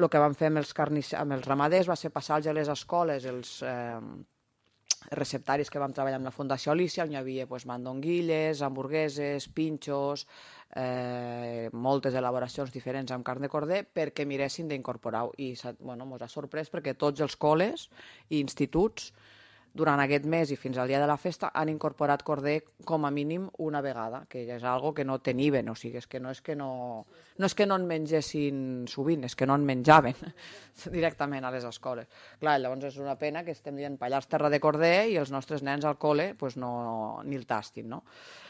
el que vam fer amb els ramaders va ser passar-los a les escoles els receptaris que vam treballar amb la Fundació Alícia, on hi havia mandonguilles, hamburgueses, pinxos, moltes elaboracions diferents amb carn de corder perquè miressin d'incorporar-ho. I ens ha sorprès perquè tots els col·les i instituts durant aquest mes i fins al dia de la festa han incorporat corder com a mínim una vegada, que és algo que no teniven, o sigui, no és que no en mengessin sovint, és que no en menjaven directament a les escoles. Clar, llavors és una pena que estem dient Pallars terra de corder i els nostres nens al col·le ni el tastin, no?